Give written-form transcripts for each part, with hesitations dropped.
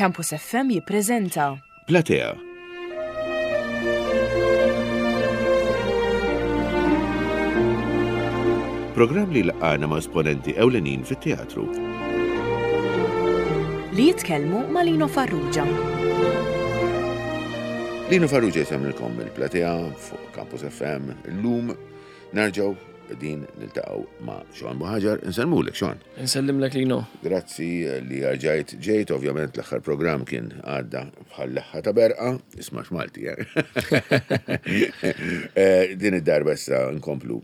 Campus FM jippreżenta. Platea. Programm li laqgħana ma' esponenti ewlenin fit-teatru. Li jitkellmu ma' Lino Farrugia. Lino Farrugia jsemlilkom il-Platea fuq Campus FM. Illum nerġgħu din niltaqgħu ma' Sean Buhaġar. Insellmulek Sean. Insellimlek Lino. Grazzi li rġajt ġejt, ovvjament l-aħħar programm kien għadda bħal leħħa ta' berqa, isma' x'Malti, eh? eh. Din id-darba issa nkomplu.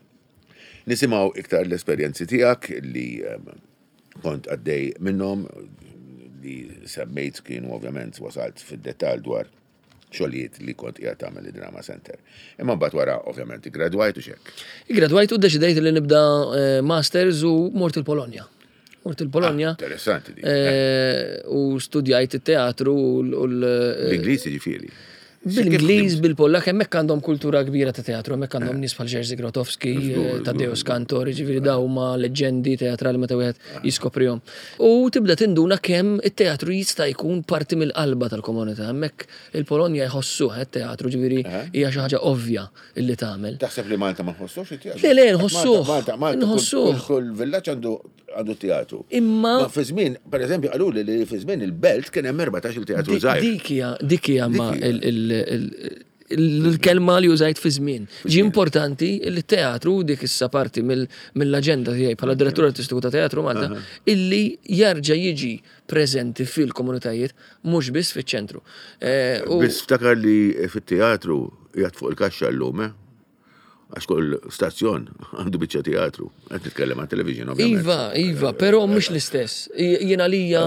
Nisimgħu iktar l-esperjenzi tiegħek li ehm, kont għaddej minnhom li semmejt kienu ovvjament wasalt fid-dettall dwar xogħlijiet li kont qiegħed tagħmel id-Drama Center. Imma mbagħad wara ovvjament iggradwajt u x'hekk. Iggradwajt u ddeċidejt li nibda eh, masters u mort il-Polonja. Mort il-Polonja. Ah, interessanti di. Eh, u studjajt it-teatru u l- eh, L-Ingliż jiġifieri. Bil-Ingliż, bil-Pollak, hemmhekk għandhom kultura kbira ta' teatru, hemmhekk għandhom nies bħal Jerzy Grotowski, Tadeusz Kantor, jiġifieri dawn huma leġġendi teatrali meta wieħed jiskoprihom. U tibda tinduna kemm it-teatru jista' jkun parti mill-qalba tal-komunità. Hemmhekk il-Polonja jħossuh it-teatru, ġifieri hija xi ħaġa ovvja illi tagħmel. Taħseb li Malta ma nħossux it-teatru? Le, le, nħossuh. Malta, Malta, nħossuh. Kull villaġġ għandu għandu teatru. Imma. Ma fi żmien, per eżempju, qaluli li fi żmien il-belt kien hemm 14 il-teatru żgħir. Dik hija, dik hija ma l-kelma li użajt fi żmien. Ġi importanti li teatru dik issa parti mill-aġenda tiegħi bħala direttur artistiku ta' Teatru Malta illi jarġa' jiġi preżenti fil-komunitajiet mhux biss fiċ-ċentru. Eh, biss ftakar li fit-teatru jgħat fuq il-kaxxa llum, eh? Għax kull stazzjon għandu biċċa teatru. Qed nitkellem għat television ovvjament. Iva, iva, però mhux l-istess. Jien għalija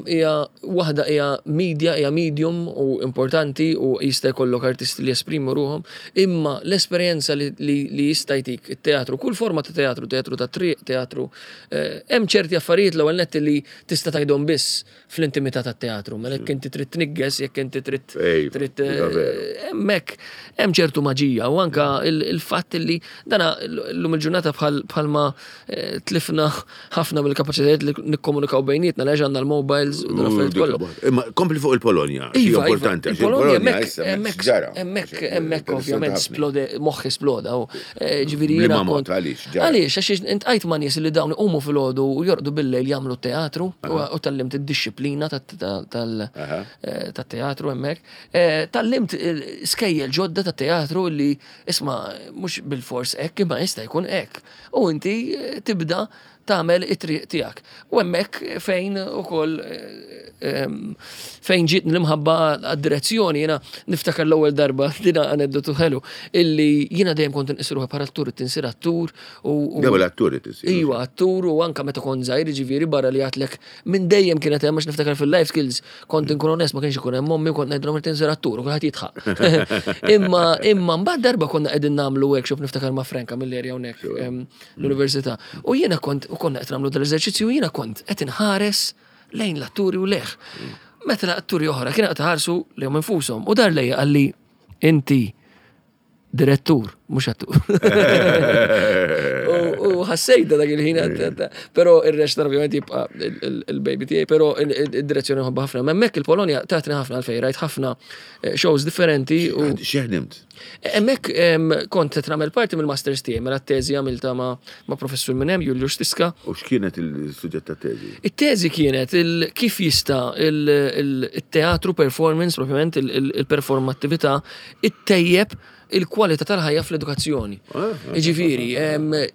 hija waħda hija media, hija medium u importanti u jista' jkollok artisti li jesprimu ruhom, imma l-esperjenza li jista' jtik it-teatru, kull forma ta' teatru, teatru ta' triq, teatru, eh, hemm ċerti affarijiet l-ewwel nett li tista' tgħidhom biss fl-intimità tat-teatru, mela jekk inti trid tnigges, jekk inti trid trid eh, hemmhekk hemm ċertu maġija u anka il-fatt li dana llum il-ġurnata bħalma eh, tlifna ħafna mill-kapaċitajiet li nikkomunikaw bejnietna li għandna l-mobiles u dan affarijiet kollha. Imma kompli fuq il-Polonja, iva, iva, importanti. Il-Polonja hemmhekk hemmhekk hemmhekk ovvjament splode moħħi sploda u eh, ġifieri jiena kont. Għaliex għax intqajt ma' nies li dawn iqumu filgħodu u jorqdu bil-lejl jagħmlu teatru u tgħallimt id-dixxiplina tat-teatru hemmhekk. Eh, tgħallimt eh, skejjel ġodda tat-teatru li isma' mhux bilfors hekk imma jista' jkun hekk. U inti eh, tibda tagħmel it-triq tiegħek. U hemmhekk fejn ukoll fejn ġiet l-imħabba għad-direzzjoni jiena niftakar l-ewwel darba dina aneddotu ħelu illi jiena dejjem kont inqis ruħi bħala attur tinsir attur u L-ewwel attur tinsir. Iva, attur u anka meta kont żgħir ġifieri barra li għatlek minn dejjem kienet hemm għax niftakar fil-life skills kont inkun onest ma kienx ikun hemm ommi u kont ngħidilhom irid insir attur u kulħadd jidħaq. Imma imma mbagħad darba konna qegħdin nagħmlu workshop niftakar ma' Franka mill-area hawnhekk l-università. U jiena kont, u konna qed nagħmlu dal-eżerċizzju, u jiena kont qed inħares lejn l-atturi u leħ. Meta l-atturi oħra kienu qed iħarsu lejhom infushom u dar lejja qalli inti direttur, mhux attur. U ħassejta dak il-ħin, però ir-rest ovvjament jibqa' il-baby tiegħi, però id-direzzjoni nħobbha ħafna. Ma hemmhekk il-Polonja tatni ħafna għalfejn, rajt ħafna eh, shows differenti. X'ħdimt? Hemmhekk kont qed nagħmel parti mill-masters tiegħi, mela t-teżi għamilta ma' ma' professur minn hemm, Juliusz Tiska. U x'kienet il-suġġett tat-teżi? It-teżi kienet kif jista' il-teatru performance, propjament il-performattività, ittejjeb il-kwalità tal-ħajja fl-edukazzjoni. Ah, ah, ah, Jiġifieri,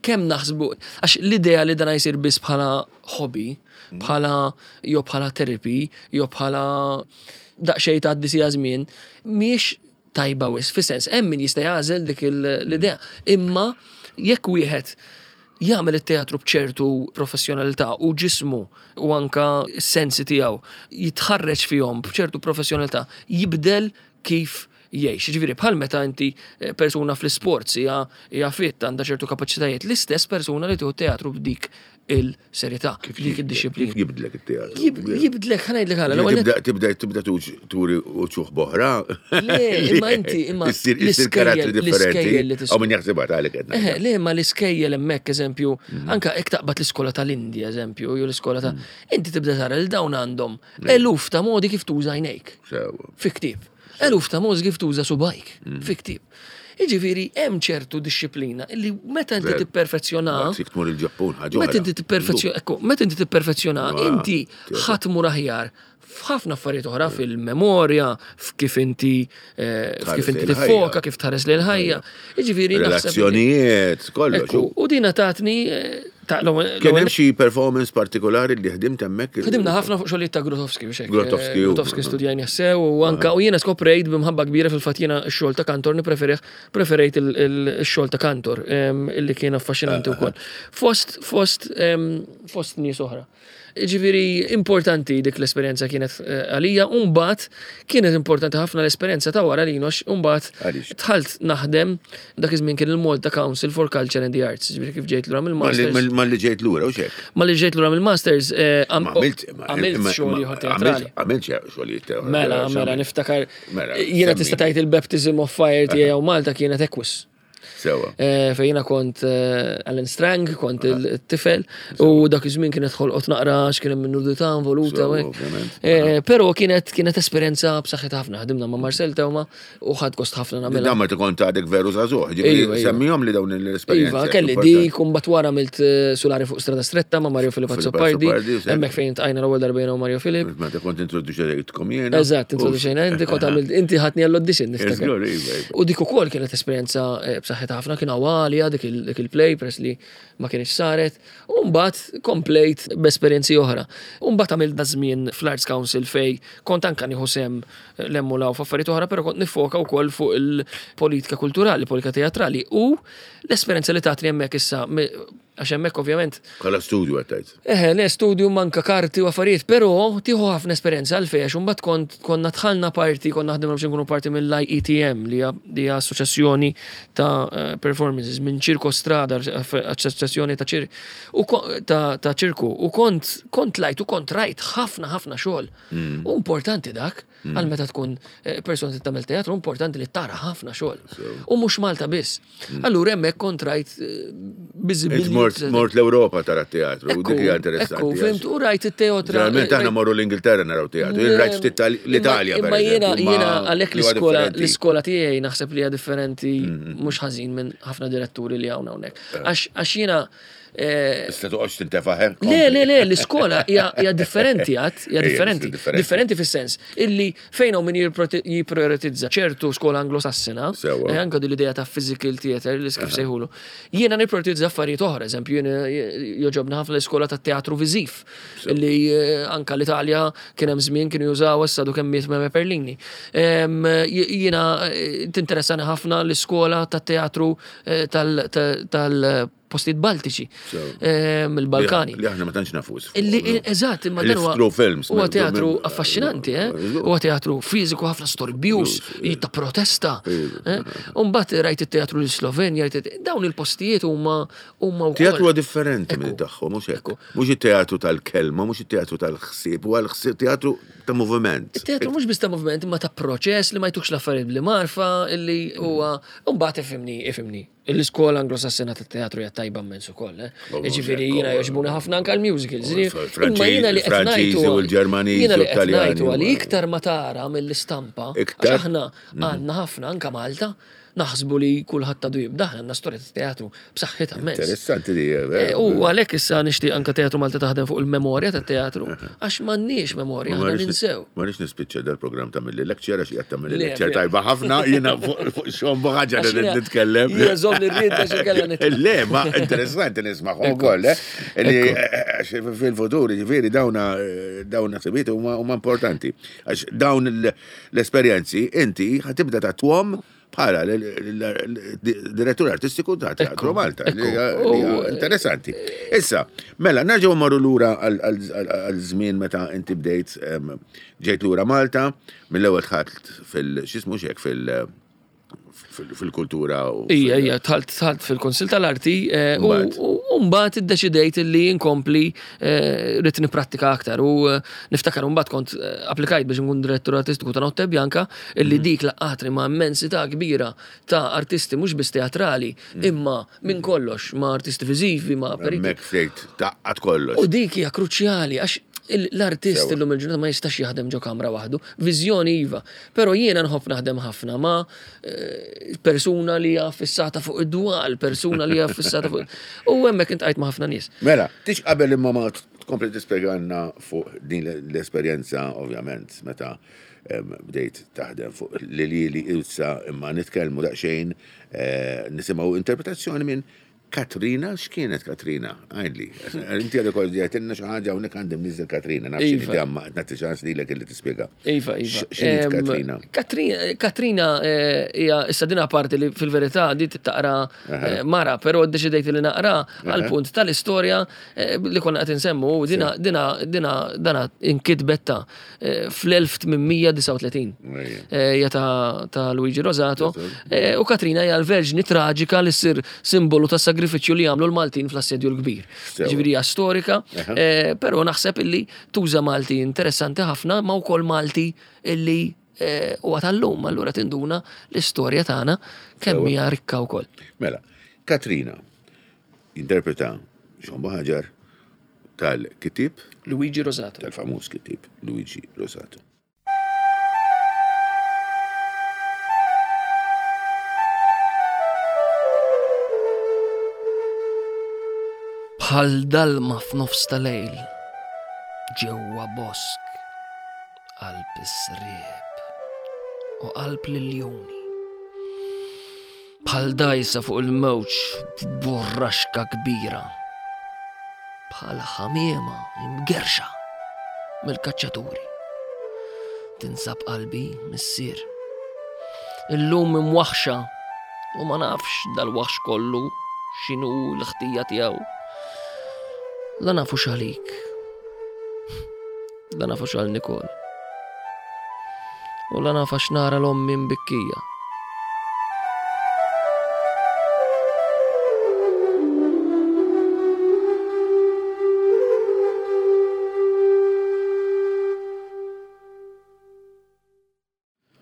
kemm naħsbu, għax l-idea li dan jsir biss bħala hobby, mm. bħala jew bħala therapy, jew bħala daqsxejn tgħaddi sija żmien, mhijiex tajba wisq, fis-sens hemm min jista' jagħżel dik l-idea, imma jekk wieħed jagħmel it-teatru b'ċertu professjonalità u ġismu u anka s-sensi tiegħu jitħarreġ fihom b'ċertu professjonalità, jibdel kif jgħix. Ġifieri bħal meta inti eh, persuna fl-isports hija hija fit għandha ċertu kapaċitajiet, l-istess persuna li tieħu teatru b'dik il-serjetà, dik id-dixxiplina. Kif jibdlek it-teatru? Jibdlek, ħa ngħidlek għala. l-ewwel Tibda tibda tibda turi uċuħ boħra. Le, imma inti, imma Issir issir karattri l-iskejjel differenti. li tis- Aw min jaħsibha tagħlek qed Eħe, ngħid. le, ma l-iskejjel hemmhekk eżempju, anka hekk taqbad l-iskola tal-Indja eżempju, jew l-iskola ta' inti tibda tara li dawn għandhom eluf ta' modi kif tuża għajnejk. Sewa. Fi ktieb. Eluf ta' modi kif tuża subajk. Fi ktieb. Jiġifieri hemm ċertu dixxiplina li meta inti Ver. tipperfezzjona Jekk tmur il-Ġappun ħaġa. Meta inti tipperfezzjona, ekku, meta inti tipperfezzjona, Ah, inti teatru. ħadd mur aħjar f'ħafna affarijiet oħra fil-memorja, f'kif inti eh, Tħares f'kif inti lejn il-ħajja. tiffoka, kif tħares lejn il-ħajja. Jiġifieri naħseb li- Relazzjonijiet, kollox. Ekku, u dina tatni eh, ta' l-ewwel- Kien hemm xi performance partikolari li ħdimt hemmhekk? Ħdimna ħafna fuq xogħlijiet ta' Grotowski biex hekk. Grotowski, Eh, u- Grotowski studjajni sew u anka u jiena skoprejt b'imħabba kbira fil-fatt jiena x-xogħol ta' Kantor nippreferih preferejt il-xogħol ta' Kantor em, illi kien affaxxinanti wkoll. Fost fost em, fost nies oħra. Ġifieri importanti dik l-esperjenza kienet eh, għalija, u mbagħad kienet importanti ħafna l-esperjenza ta' wara li nox, u mbagħad Għaliex? dħalt naħdem dak iż-żmien kien il-Malta Council for Culture and the Arts, ġifieri kif ġejt lura mill-Masters. Ma li ġejt lura u xek. Ma li ġejt lura mill-Masters, eh, Ma għamilt għamilt xogħol ieħor teatrali. Għamilt xogħol teatrali. Mela, mela, niftakar. Mela, Jiena semmi. tista' tgħid il-baptism of fire tiegħi u Malta kienet Equus. Sewa. Eh, Fejn jiena kont eh, Alan Strang, kont il-tifel, u dak iż-żmien kienet ħolqot naqra x'kien hemm nudità involuta. Sewa, u hekk. ovvjament. Eh, Però kienet kienet esperjenza b'saħħitha ħafna, ħdimna ma' Marcel Tewma u ħadd gost ħafna nagħmilha. Dan meta kont għadek veru żagħżugħ, Iva, ġifieri iva. semmihom li dawn l-esperjenzi. Iva, kelli dik, un bat wara għamilt eh, Sulari fuq Strada Stretta ma' Mario Filip Filip Azzopardi, Azzopardi, sew. hemmhekk fejn tqajna l-ewwel darba jiena u Mario Filip. Meta kont introduċejtkom jiena. Eżatt, introduċejna inti, kont għamilt, inti ħatni għall-audition, niftakar. Żgur, iva, iva. U dik ukoll kienet esperjenza eh, b'saħħitha ħafna, kien għalija dik il- dik il-play press li ma kienx saret. U mbagħad komplejt b'esperjenzi oħra. U mbagħad għamilt da żmien fl-Arts Council fej kont anka nieħu sem eh, l-emmula u f'affarijiet oħra, però kont nifoka wkoll fuq il-politika kulturali, politika teatrali u l-esperjenza li tatni hemmhekk issa mi- għax hemmhekk ovvjament Bħala studju għattajt. Eħe, le studju manka karti u affarijiet, però tieħu ħafna esperjenza għalfejn għax imbagħad kont konna dħalna parti, konna ħdimna biex nkunu parti mill-IETM li hija li hija assoċjazzjoni ta' eh, performances minn Ċirko Strada, assoċjazzjoni ta' ċir u ko- ta' ta' ċirku u kont kont lajt u kont rajt ħafna ħafna xogħol. U importanti dak għal meta tkun eh, persuna li tagħmel teatru, importanti li tara ħafna xogħol. U mhux Malta biss. Allura hemmhekk kont rajt eh, Int biżibilji- mort mort l-Ewropa tara teatru, u dik hija interessanti. Ekku, fimt, u rajt it-teotra. Ġeneralment aħna morru l-Ingilterra naraw teatru, jien rajt ftit l-Italja. Imma per jiena eżempju, ma jiena għalhekk li huwa l-iskola differenti. l-iskola tiegħi naħseb li hija differenti mhux ħażin minn ħafna diretturi li hawn hawnhekk. Eh. Għax għax jiena eh, Issa toqgħodx tintefa' hemm. Le, le, le, l-iskola hija hija differenti għad, hija Ejja, differenti. differenti. Differenti fis-sens illi fejn hawn min jipprioritizza ċertu skola anglosassina, Sewwa. eh, anka din l-idea ta' physical theater li kif sejħulu. Jiena nipprioritizza affarijiet oħra, eżempju, jiena joġobna ħafna l-iskola ta' teatru viżiv li eh, anka l-Italja kien hemm żmien kienu jużaw issa du kemm miet Meme Perlini. Em, Jiena eh, tinteressani ħafna l-iskola ta' teatru eh, tal- tal- tal-postijiet Baltiċi, Sew. em, il-Balkani. Li aħna ma tantx nafus. Illi, eżatt, imma Li dan huwa through films. Huwa teatru affaxxinanti, eh? Huwa teatru fiżiku ħafna storbjus, ta' protesta. eh? U mbagħad rajt it-teatru l-Slovenja, rajt it- dawn il-postijiet huma huma wkoll. Teatru huwa differenti minn Ekku. tagħhom, mhux hekk. Ekku. Mhux it-teatru tal-kelma, mhux it-teatru tal-ħsieb, huwa l-ħsieb teatru ta' moviment. Teatru mhux biss ta' moviment, imma ta' proċess li ma jtukx l-affarijiet bli marfa, illi huwa mbagħad ifhimni, ifhimni. L-iskola anglosassina tat-teatru hija tajba immens ukoll, eh. Jiġifieri jiena jogħġbuni ħafna anke l-musicals. Imma jiena li qed Franċiżi ngħid u l-Ġermaniżi Jiena u li qed l-Taljani ngħid huwa li u- iktar ma tara mill-istampa, għax Iktar? Mhm. aħna għandna ħafna anke Malta, naħsbu li kulħadd għadu jibda, aħna għandna storja tat-teatru b'saħħitha immens. Interessanti di. Eh, U għalhekk issa nixtieq anke Teatru Malta taħdem fuq il-memorja tat-teatru, għax m'għandniex memorja, aħna ninsew. Ma rix nispiċċa dal-programm ta' mill lecture għax qiegħed tagħmel Le, lecture le. tajba ħafna jiena fuq xogħol ħaġa Għax li jiena- nitkellem. jiena żomm li rrid għax inkella nitlaq. Le, ma interessanti nisma' ukoll, eh, li eh, għax fil-futur ġifieri dawna eh, dawna ħsibiet huma huma importanti. Għax dawn l-esperjenzi inti ħatibda tatwhom bħala direttur artistiku ta' Teatru Malta. Interessanti. Issa, mela, nerġgħu marru lura għal żmien meta inti bdejt ġejt lura Malta, mill-ewwel dħalt fil-xismu xek fil- fil-kultura. Ija, ija, tħalt tħalt fil-Konsil tal-Arti eh, u mbagħad iddeċidejt li nkompli eh, rrid nipprattika aktar u eh, niftakar mbagħad kont applikajt biex nkun direttur artistiku ta' Notte Bianca illi mhm. dik laqatri ma' immensità kbira ta' artisti mhux biss teatrali mhm. imma minn kollox ma' artisti viżivi ma' periti. Taqqat kollox. U dik hija kruċjali għax l-artist illum il-ġurnata ma jistax jaħdem ġo kamra waħdu. Viżjoni iva. Però jiena nħobb naħdem ħafna ma' eh, persuna li hija fissata fuq id-dwal, persuna li hija fissata fuq. U hemmhekk intqajt ma' ħafna nies. Mela, tix qabel imma ma tkompli tispjegalna fuq din l-esperjenza ovvjament meta bdejt taħdem fuq l-lili ilsa imma nitkellmu daqsxejn eh, nisimgħu interpretazzjoni minn Katrina, x'kienet Katrina? Għidli. Inti għadek kol ġejtilna xi ħaġa hawnhekk għandi mniżel Katrina, naf x'inhi iva. imma qed nagħti ċans lilek illi tispjega. Iva, iva. X'inhi Katrina? Katrina eh, hija issa din parti li fil-verità di taqra eh, mara, però ddeċidejt li naqra għal punt tal-istorja eh, li konna qed insemmu dina dina dina dana inkitbet ta' fl-1839. Hija ta' Luigi Rosato. U Katrina hija l-verġni traġika li ssir simbolu ta' sagrifiċċju li għamlu l-Maltin fl-Assedju l-Kbir. Ġifieri hija storika, però naħseb illi tuża Malti interessanti ħafna ma wkoll Malti illi huwa tal-lum, allura tinduna l-istorja tagħna kemm hija rikka wkoll. Mela, Katrina jinterpreta Jean Buhaġar tal-kittieb Luigi Rosato. Tal-famuż kittieb Luigi Rosato. Bħal dalma f'nofs ta' lejl ġewwa bosk qalb is-sriep u qalb l-iljuni. Bħal dgħajsa fuq il-mewġ f'burraxka kbira. Bħal ħamiema imgerrxa mill-kaċċaturi. Tinsab qalbi, missier. Illum imwaħħxa u ma nafx dal-waħx kollu x'inhu l-ħtija tiegħu. La nafu x'għalik. La nafu x'għal Nikol. U la naf għax nara l-ommi mbikkija.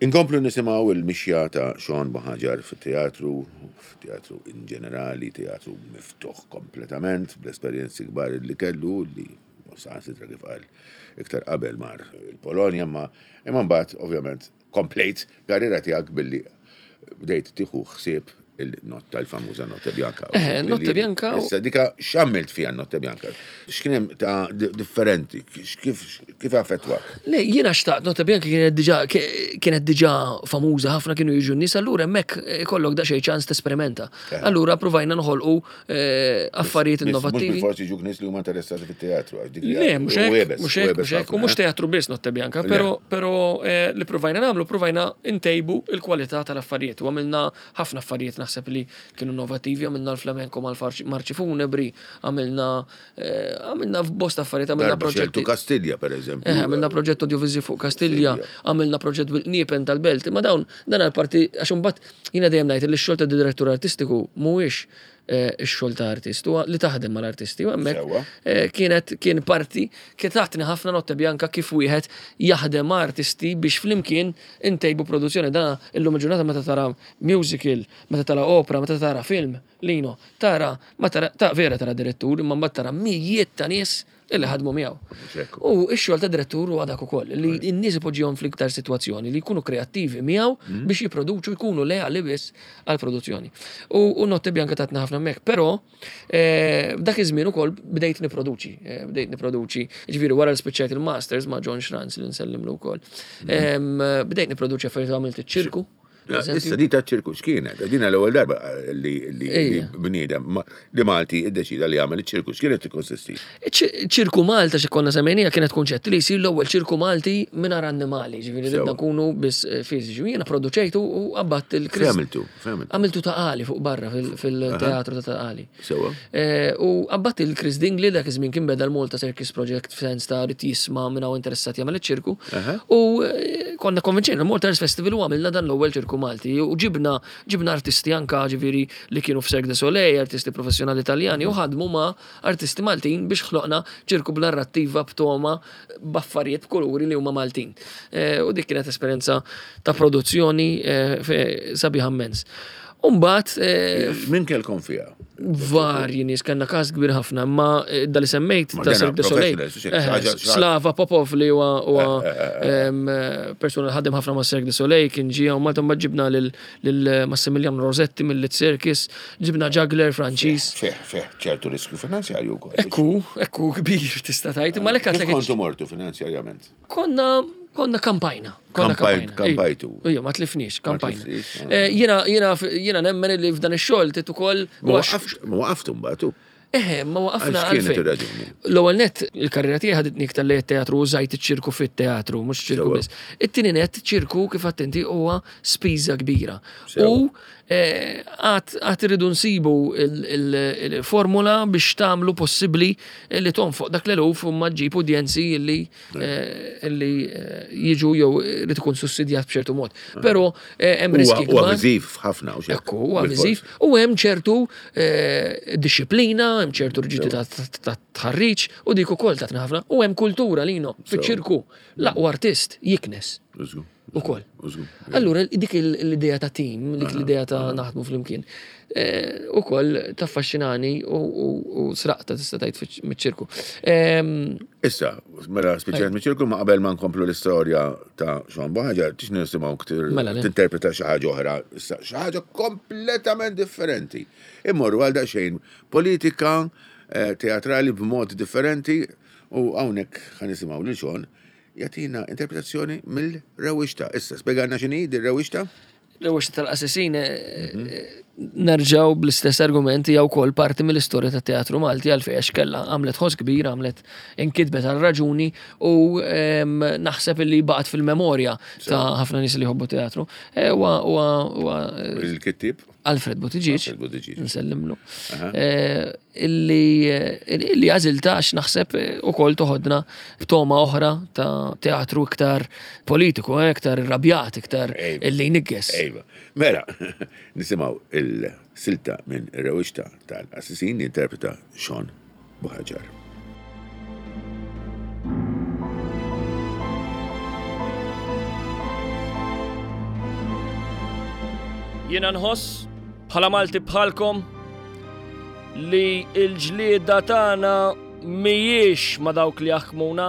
Inkomplu nisimgħu il-mixja ta' Sean Buhagiar fit-teatru, f'teatru in ġenerali, teatru miftuħ kompletament, bl-esperjenzi kbar li kellu, li saħansitra kif qal iktar qabel mar il-Polonja, imma imma mbagħad ovvjament komplejt karriera tiegħek billi bdejt tieħu ħsieb il-notta, il-famuża Notte Bianca. Eh, Notte Bianca. Issa dika x'għamilt fiha Notte Bianca? X'kien hemm ta' differenti? Kif kif affettwa? Le, jiena xtaqt Notte Bianca kienet diġà kienet diġà famuża ħafna kienu jiġu n-nies, allura hemmhekk ikollok daqsxejn ċans tesperimenta. Eh. Allura provajna noħolqu eh, affarijiet innovattivi. Mhux forsi ġuk nies li huma interessati fit-teatru. Le, mhux hekk, mhux hekk, mhux hekk, u mhux eh. teatru biss Notte Bianca, però però li provajna nagħmlu provajna ntejbu il-kwalità tal-affarijiet u għamilna ħafna affarijiet naħseb li kienu innovattivi, għamilna l-flamenco mal-marċi funebri, għamilna eh, għamilna bosta affarijiet, għamilna proġetti. Kastilja, per eżempju. Eh, għamilna proġett audiovisiv fuq Kastilja, għamilna proġett bil-qniepen tal-belt, ma dawn dan għal-parti, għax imbagħad jiena dejjem ngħid li x-xogħol ta' direttur artistiku mhuwiex eh, ix-xogħol ta' artist, huwa li taħdem mal-artisti. U hemmhekk eh, kienet kien parti kien taħtni ħafna Notte Bianca kif wieħed jaħdem ma' artisti biex flimkien intejbu produzzjoni. Dan illum il-ġurnata meta tara musical, meta tara opera, meta tara film, Lino, tara ma tara ta' vera tara direttur, imma mbagħad tara mijiet ta' nies illi ħadmu miegħu. U x-xogħol ta' direttur huwa dak ukoll, li n-nies ipoġġihom fl-iktar sitwazzjoni li jkunu kreattivi miegħu mm. biex jipproduċu jkunu leali biss għall-produzzjoni. U Notte Bianca tatna ħafna hemmhekk, però eh, dak iż-żmien ukoll bdejt niproduċi, eh, bdejt niproduċi, ġifieri wara li spiċċajt il-masters ma' John Schranz li nsellimlu wkoll. Mm. Bdejt niproduċi affarijiet għamilt iċ-ċirku. Issa di ta' ċirku x'kienet? Dina l-ewwel darba li bniedem li Malti iddeċida li jagħmel iċ-ċirku x'kienet tikkonsisti? Ċirku Malta xi konna semmejnija kienet kunċett li jsir l-ewwel ċirku Malti mingħajr annimali, ġifieri ridna nkunu biss eh, fiżiċi. Jiena produċejtu u qabbadt il-Chris. Għamiltu, Għamiltu ta' qali fuq barra fil-teatru ta' qali. Sewa. Eh, u qabbadt il-Chris Dingley dak iż-żmien kien beda l-Malta Circus Project f'sens ta' rid jisma' minn hawn interessat jagħmel iċ-ċirku. U eh, konna konvinċejna l-Malta Arts Festival u għamilna dan l-ewwel ċirku Malti u ġibna ġibna artisti anka ġifieri li kienu f'Cirque du Soleil, artisti professjonali Taljani u ħadmu ma' artisti Maltin biex ħloqna ċirku b'narrattiva b'toma b'affarijiet b'kuluri li huma Maltin. Eh, u dik kienet esperjenza ta' produzzjoni sabiħa immens. Umbat. Eh, Min kellkom fiha? Varji nies kellna każ kbir ħafna, ma eh, dali semmejt ta' Cirque du Soleil. Eh, Slava Popov li huwa persuna li ħadem ħafna ma' Cirque du Soleil kien ġie u Malta mbagħad ġibna lil Massimiliano Rosetti mill-Lit Circus, ġibna juggler Franċiż. Fih, fih, ċertu riskju finanzjarju wkoll. Ekku, ekku kbir tista' tgħid, ma lek Kontu mortu finanzjarjament? Konna konna kampajna. Konna kampajna. Kampajtu. Ija, ma tlifniex, kampajna. Eh, jiena jiena jiena nemmen li f'dan ix-xogħol tit ukoll. Ma waqaftu mbagħad. Eħe, ma waqafna għalfejn. L-ewwel net, il-karriera tiegħi ħaditni iktar li teatru użajt iċ-ċirku fit-teatru, mhux ċirku biss. It-tieni net, ċirku kif attenti huwa spiża kbira. U eh, għad irridu nsibu il-formula biex tagħmlu possibbli li tonfoq dak l-eluf u ma ġġib udjenzi li eh, li eh, jiġu jew li tkun sussidjat b'ċertu mod. Però hemm riski. Huwa viżiv ħafna u Ekku, huwa viżiv u hemm ċertu disciplina, hemm ċertu riġidità ta' tħarriġ u dik ukoll tatna ħafna u hemm kultura lino fiċ-ċirku l-aqwa artist jiknes. Ukoll. Allura dik l-idea ta' team, dik l-idea ta' naħdmu flimkien, eh, ukoll taffaxxinani u sraqta tista' tgħid miċ-ċirku. Ehm, Issa, mela speċjalment miċ-ċirku ma qabel ma nkomplu l-istorja ta' Sean Buhaġar, tix nisimgħu ktir mela, tinterpreta xi ħaġa oħra, issa xi ħaġa kompletament differenti. Immorru għal daqsxejn politika eh, teatrali b'mod differenti u hawnhekk ħa nisimgħu lil Sean Jagħtina interpretazzjoni mill-rewwixta. Issa, spjegalna x'inhi din rewwixta? Rewwixta tal-Qassisin eh, mhm. eh, nerġaw bl-istess argumenti jew wkoll parti mill-istorja tat-teatru Malti għalfejn għax kellha għamlet ħoss kbir, għamlet inkitbet għal raġuni u ehm, naħseb li baqgħet fil-memorja ta' ħafna nies li jħobbu teatru. Eh, Il-kittib? Alfred Buttigieg, nsellimlu, eh, illi illi għażilta għax naħseb eh, ukoll toħodna b'toma oħra ta' teatru iktar politiku, eh, iktar irrabjat, iktar illi jnigges. Ejva. Mela, nisimgħu il-silta minn Rewixta tal-Assisin jinterpreta Sean Buhaġar. Jiena nħoss bħala Malti bħalkom li l-ġlieda tagħna mhijiex ma' dawk li jaħkmuna.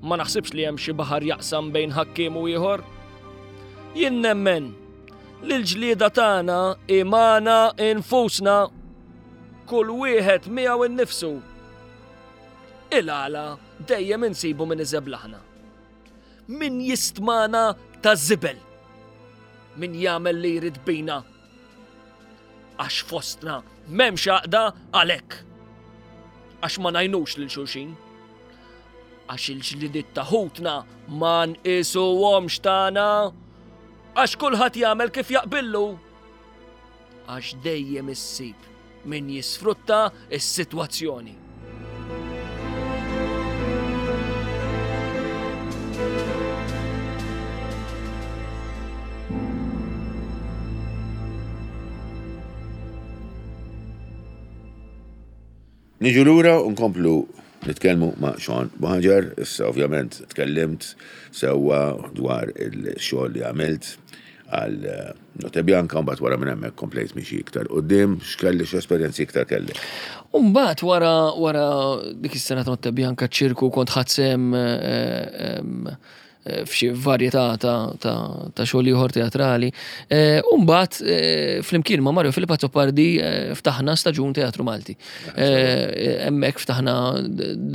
Ma naħsibx li hemm xi baħar jaqsam bejn ħakkiem u ieħor. Jien nemmen li l-ġlieda tagħna hi magħna infusna. Kull wieħed miegħu nnifsu. Il-għala dejjem insibu min iżeblaħna. Min jistmana ta' żibel. Min jagħmel li jrid bina. Għax fostna m'hemmx għaqda għalhekk. Għax ma ngħinux lil xulxin. Għax il-ġlidiet ta' ħutna ma nqisuhomx tagħna. Għax kulħadd jagħmel kif jaqbillu. Għax dejjem issib min jisfrutta s-sitwazzjoni. Niġu lura u nkomplu nitkellmu ma' Sean Buhaġar. Issa ovvjament tkellimt sewwa dwar il-xogħol li għamilt għal Notte Bianca u mbagħad wara minn hemmhekk komplejt mixi iktar quddiem, x'kelli x'esperjenzi iktar kellek? U mbagħad wara wara dik is-sena ta' Notte Bianca ċ-ċirku kont ħadt sehem eh, f'xi varjetà ta' xogħol ieħor teatrali. Eh, u mbagħad eh, flimkien ma' Mario Filippo Azzopardi eh, ftaħna staġun Teatru Malti. Hemmhekk ftaħna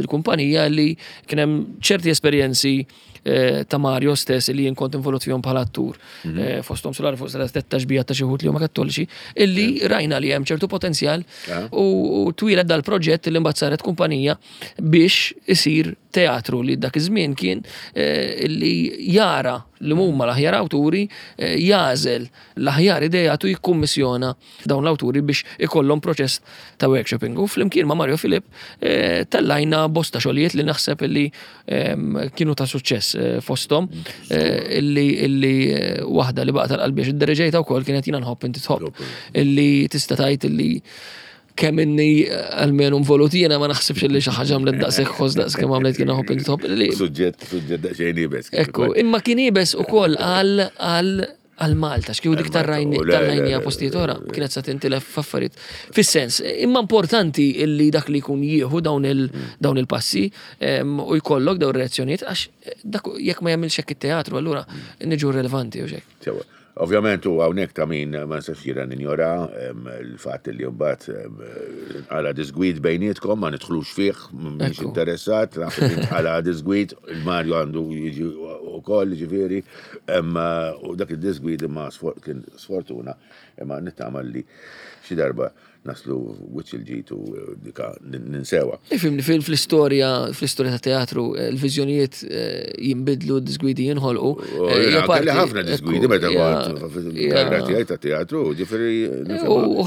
l-kumpanija li kien hemm ċerti esperjenzi ta' Mario stess li jien kont involut fihom bħala attur. Mhm. Fosthom sular fuq sala tetta xbija ta' xi li huma kattoliċi, illi rajna li hemm ċertu potenzjal u twieled dal-proġett li mbagħad saret kumpanija biex isir teatru li dak iż-żmien kien eh, li jara li huma l-aħjar awturi, eh, jagħżel l-aħjar ideat u jikkummissjona dawn l-awturi biex ikollhom proċess ta' workshopping. U flimkien ma' Mario Filip eh, tellajna bosta xogħlijiet li naħseb li ehm, kienu ta' suċċess fosthom illi illi waħda li baqa' tal-qalbi għax iddereġejta wkoll kienet jiena nħobb inti tħobb illi tista' tgħid illi kemm inni almenu involut jiena ma naħsibx li xi ħaġa għamlet daqshekk ħoss daqs kemm għamlet jiena ħobb inti tħobb li. Suġġett, suġġett daqsxejn iebes. Ekku, imma kien iebes ukoll għal għal għal Malta, x'kieku dik tar-rajnija postijiet oħra, kienet sa tintilef f'affarijiet. Fis-sens, imma importanti illi dak li jkun jieħu dawn dawn il-passi u jkollok dawn ir-reazzjonijiet għax dak jekk ma jagħmilx hekk it-teatru allura niġu relevanti u xek. Ovvjament u hawnhekk ta' min ma nistax jiena ninjora l-fatt li mbagħad nqala disgwid bejnietkom ma nidħlux fih, m'iniex interessat, naf li nqala disgwid, il-Mario għandu jiġi wkoll ġifieri, u dak id-disgwid imma kien sfortuna imma nittama li xi darba naslu wiċċ il-ġid u dika ninsewha. Ifhimni, fl-istorja, fl-istorja ta' teatru, eh, l-viżjonijiet eh, jinbidlu, d-disgwidi jinħolqu. Eh, kelli ħafna disgwidi meta kont fil-karriera tiegħi ta' teatru, ġifieri.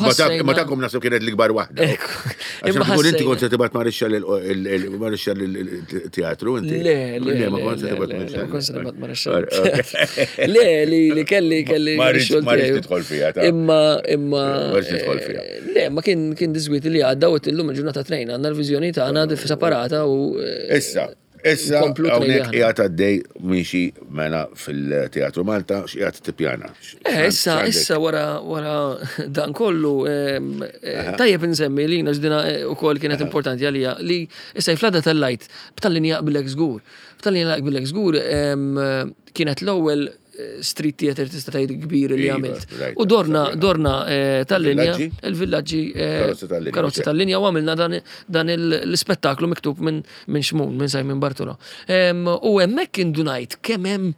Ma tagħkom naħseb kienet l-ikbar waħda. Imma inti kont se tibgħat marixxa lil-teatru inti. Le, le, ma kont se tibgħat marixxa. Kont se tibgħat marixxa. Le, li kelli kelli. Ma rridx tidħol fiha. Imma imma. Ma rridx tidħol fiha. Le, ma kien kien disgwit li għadda u illum il-ġurnata trejn għandna l-viżjoni tagħna separata u. Eh, issa, issa hawnhekk qiegħed għaddej miexi mela fil-Teatru Malta x'qiegħed tippjana. Eh, issa, issa wara wara dan kollu eh, tajjeb insemmi li jiena ġdina ukoll kienet importanti għalija li issa jflada tal-lajt b'tal-linja jaqbilek żgur. B'tal-linja jaqbilek żgur kienet l-ewwel street theater tista' tgħid kbir li iva, għamilt. U dorna dorna eh, tal-linja, il-villaġġi eh, karozzi tal-linja u għamilna dan l-ispettaklu miktub minn Xmun, minn Simon Bartolo. U hemmhekk indunajt kemm hemm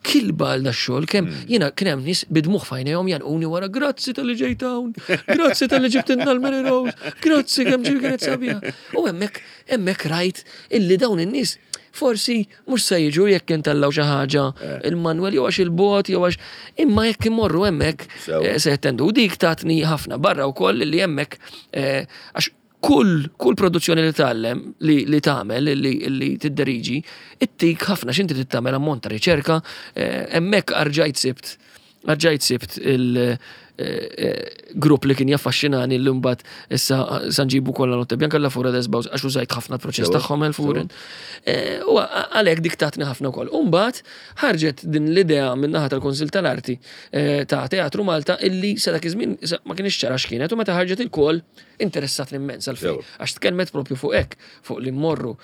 kilba għal dax-xogħol kemm hmm. jiena kien hemm nies bidmuħ fajnejhom janquni wara grazzi tal-li ġejt hawn, grazzi tal-li ġibtilna l-Mary Rose, grazzi kemm ġib kienet sabiħa. U hemmhekk hemmhekk rajt illi dawn in-nies forsi Mhux se jiġu jekk intellaw xi ħaġa eh. il-manwel jew għax il-bot jew għax imma jekk imorru hemmhekk eh, se jattendu. U dik tatni ħafna barra wkoll li hemmhekk eh, għax kull kull produzzjoni li tgħallem li, li tagħmel li, li tidderiġi, ittik ħafna x'inti tagħmel ammont ta' riċerka, hemmhekk arġajt sibt Rġajt sibt il-grupp li kien jaffaxxinani li mbagħad issa sanġibu kollha Notte Bianca la Fura des Baws għax użajt ħafna l-proċess tagħhom il-Furen. Eh, u għalhekk dik tatni ħafna wkoll. U mbagħad ħarġet din l-idea min-naħa tal-Kunsill tal-Arti eh, ta' Teatru Malta illi sa dak iż-żmien ma kienx ċara x'kienet u meta ħarġet il-kol interessatni immens għalfejn għax tkellmet propju fuq hekk fuq li mmorru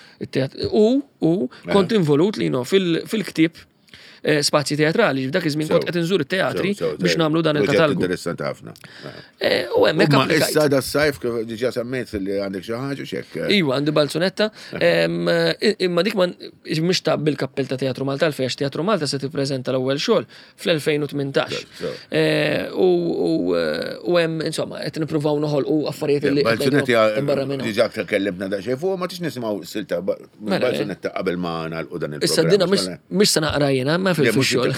u u kont involut li fil-ktieb Eh, spazji teatrali, f'dak iż-żmien kont qed inżur it-teatri biex nagħmlu dan il-katalgu. Interessanti ħafna. Eh, u hemmhekk applikajt. Issa da sajf kif diġà semmejt li għandek xi ħaġa x'hekk. Eh. Iva, għandi balzunetta, imma dik ma mhux ta' bil-kappell ta' Teatru Malta għalfejn għax Teatru Malta se tippreżenta l-ewwel xogħol fl-2018. Eh, u hemm insomma qed nippruvaw noħolqu affarijiet li Balzunetti barra minn. Diġà tkellimna daqsxejn fuq ma tix nisimgħu silta mela, balzunetta qabel ma nagħlqu dan il-programm. Issa dina mhux se naqra jiena ma fil-xogħol.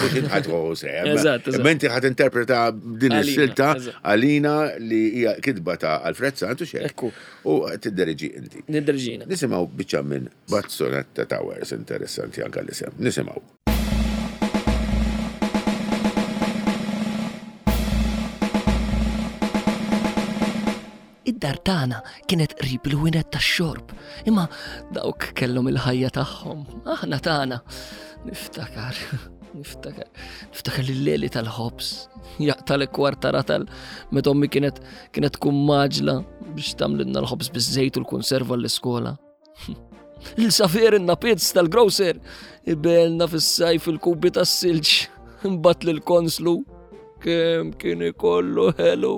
Eżatt. Imma inti ħadd interpreta din is-silta għalina li hija kitba ta' Alfred Santu xek. U tidderġi inti. Nidderġina. Nisimgħu biċċa minn Bazzonetta Towers interessanti anke l-isem. Nisimgħu. Id-dar tagħna kienet qrib il-ħwienet tax-xorb, imma dawk kellhom il-ħajja tagħhom, aħna tagħna. Niftakar, niftakar, niftakar l-leli tal-ħobż, jaqtal kwarta ratal meta ommi kienet kienet tkun maġla biex tagħmlilna l-ħobż biż-żejt u l-konserva l-iskola. Lil Safier in-napizz tal-grocer ibelna fis-sajf il-kubi tas-silġ. Imbagħad lill-konslu kemm kien ikollu ħelu.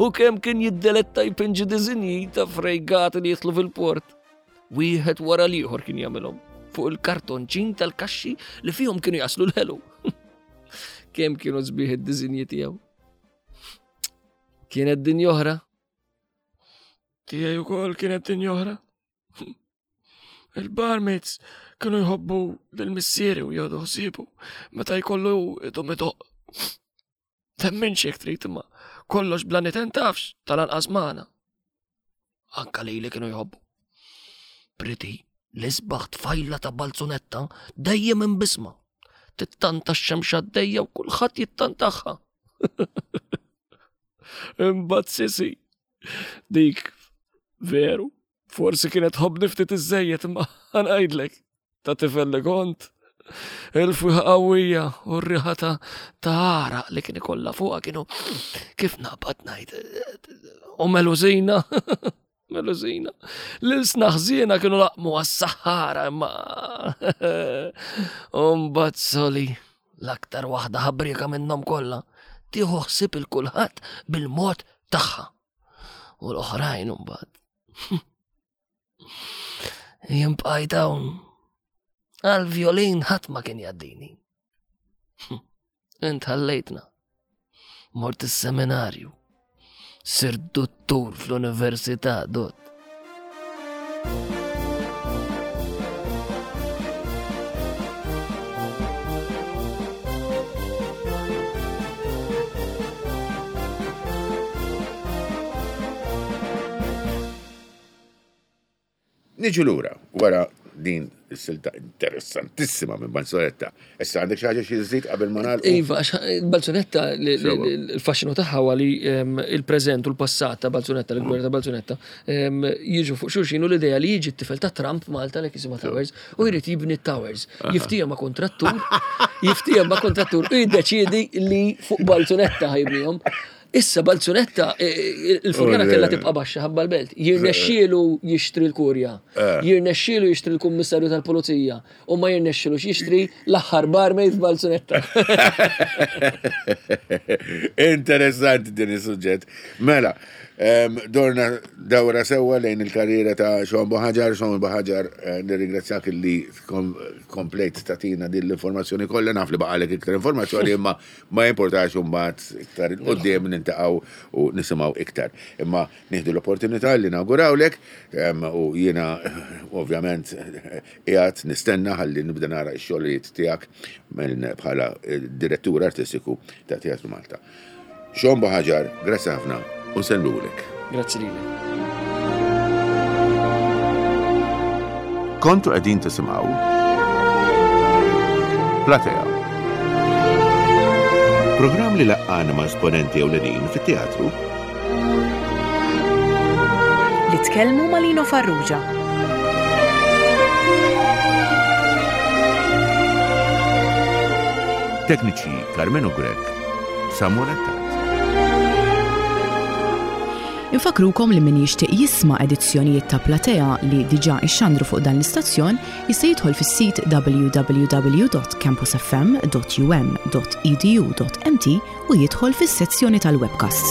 U kemm kien jiddeletta jpinġi diżinji ta' frejgati li jidħlu fil-port. Wieħed wara l-ieħor kien jagħmilhom fuq il-kartonċin tal-kaxxi li fihom kienu jaslu l-ħelu. Kemm kienu sbieħ id-diżinji tiegħu. Kienet din oħra. Tiegħi wkoll kienet din oħra. Il-barmaids kienu jħobbu lil missieri u jgħodu ħsiebu meta jkollu idhom idoq. Temminx jekk trid imma kollox bla niten tafx tal-anqas magħna. Anka lili kienu jħobbu. Priti, l-isbaħ tfajla ta' balzunetta dejjem imbisma. Tittanta x-xemxa d-dejja u kulħadd jittantaħħa. Imbagħad sisi, dik veru, forsi kienet ħobni ftit iżejjed imma ħanajdlek ta' tifel li kont. Il-fwiħa qawwija u r-riħa ta' ta' għaraq li kien ikollha fuqha kienu kif naqbad ngħid u melużina. Melużina. L-ilsna ħżiena kienu laqmu għas-saħħara imma. U mbagħad soli l-aktar waħda ħabrieka minnhom kollha tieħu ħsieb il kulħadd bil-mod tagħha. U l-oħrajn mbagħad. Jien bqajt hawn. Għal-violin ħadd ma kien jaddini. Int ħallejtna. Mort is-seminarju. Sirt dottur fl-università, dott. Niġu lura wara din is-silta interessantissima minn Balzunetta. Issa għandek xi ħaġa xi żżid qabel ma nagħlqu? Iva, għax Balzunetta il-faxxinu tagħha huwa li ehm, il-preżent u l-passat ta' Balzunetta, l-gwerra ta' Balzunetta, ehm, jiġu fuq xulxin u l-idea li jiġi t-tifel ta' Trump Malta li jisimha Towers u jrid jibni Towers. Jiftiehem ma' kontrattur, jiftiehem ma' kontrattur u jiddeċiedi li fuq Balzunetta ħajbnihom. Issa Balzunetta, e, e, il-furjana kellha tibqa' baxxa ħabba l-belt. Jirnexxielu jixtri l-kurja, eh. jirnexxielu jixtri l-kummissarju tal-pulizija u ma jirnexxielux jixtri l-aħħar barmaid f'Balzunetta. Interessanti din is-suġġett. Mela, dorna dawra sewwa lejn il-karriera ta' Sean Buhaġar. Sean Buhaġar, eh, nirringrazzjak li komplejt tatina din l-informazzjoni kollha, naf li baqalek iktar informazzjoni imma Ma jimportax u mbagħad iktar 'il quddiem nintaqgħu u nisimgħu iktar. Imma nieħdu l-opportunità li nawgurawlek u jiena ovvjament qiegħed nistenna ħalli nibda nara x-xogħlijiet tiegħek minn bħala direttur artistiku ta' Teatru Malta. Sean Buhaġar, grazzi ħafna u nsellmulek. Grazzi lilek. Kontu qegħdin tisimgħu Platea. Programm li laqqana ma' esponenti ewlenin fit-teatru. Li tkellmu ma' Lino Farrugia. Tekniċi Carmenu Grech, Samuel Attard. Infakkrukom li min jixtieq jisma' edizzjonijiet ta' Platea li diġà ixxandru fuq dan l-istazzjon jista' jidħol fis-sit www.campusfm.um.edu.mt u jidħol fis-sezzjoni tal-webcasts.